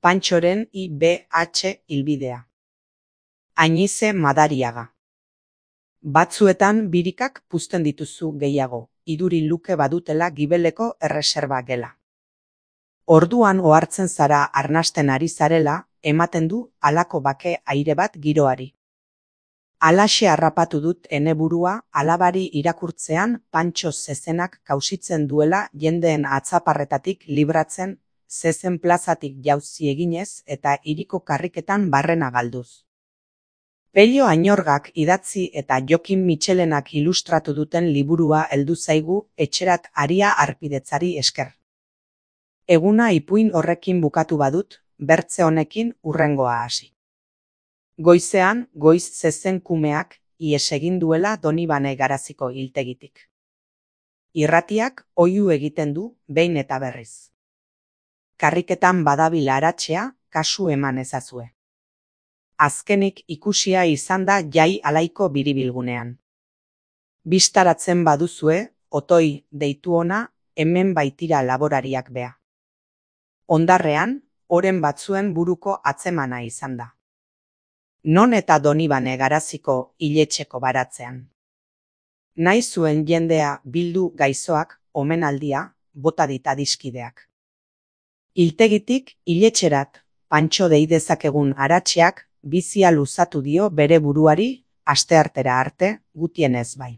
Pantxoren IBH hilbidea. Añize Madariaga. Batzuetan birikak puzten dituzu gehiago, iduri luke badutela gibeleko erreserba gela. Orduan ohartzen zara arnasten ari zarela, ematen du halako bake aire bat giroari. Halaxe harrapatu dut ene burua alabari irakurtzean Pantxo zezenak kausitzen duela jendeen atzaparretatik libratzen, zezen plazatik jauzi eginez eta hiriko karriketan barrena galduz. Pello Añorgak idatzi eta Jokin Mitxelenak ilustratu duten liburua heldu zaigu etxerat aria harpidetzari esker. Eguna ipuin horrekin bukatu badut, bertze honekin hurrengoa hasi. Goizean, goiz zezen kumeak ihes egin duela Donibane Garaziko hiltegitik. Irratiak oihu egiten du behin eta berriz. Karriketan badabil aratzea, kasu eman ezazue. Azkenik ikusia izan da jai alaiko biribilgunean. Bistaratzen baduzue, otoi deitu ona, hemen baitira laborariak bea. Ondarrean, oren batzuen buruko atzemana izan da. Non eta Donibane Garaziko hiletxeko baratzean. Nahi zuen jendea bildu gaizoak, omenaldia, bota dit adiskideak. Hiltegitik hiletxerat, Pantxo dei dezakegun aratzeak bizia luzatu dio bere buruari, asteartera arte, gutienez bai.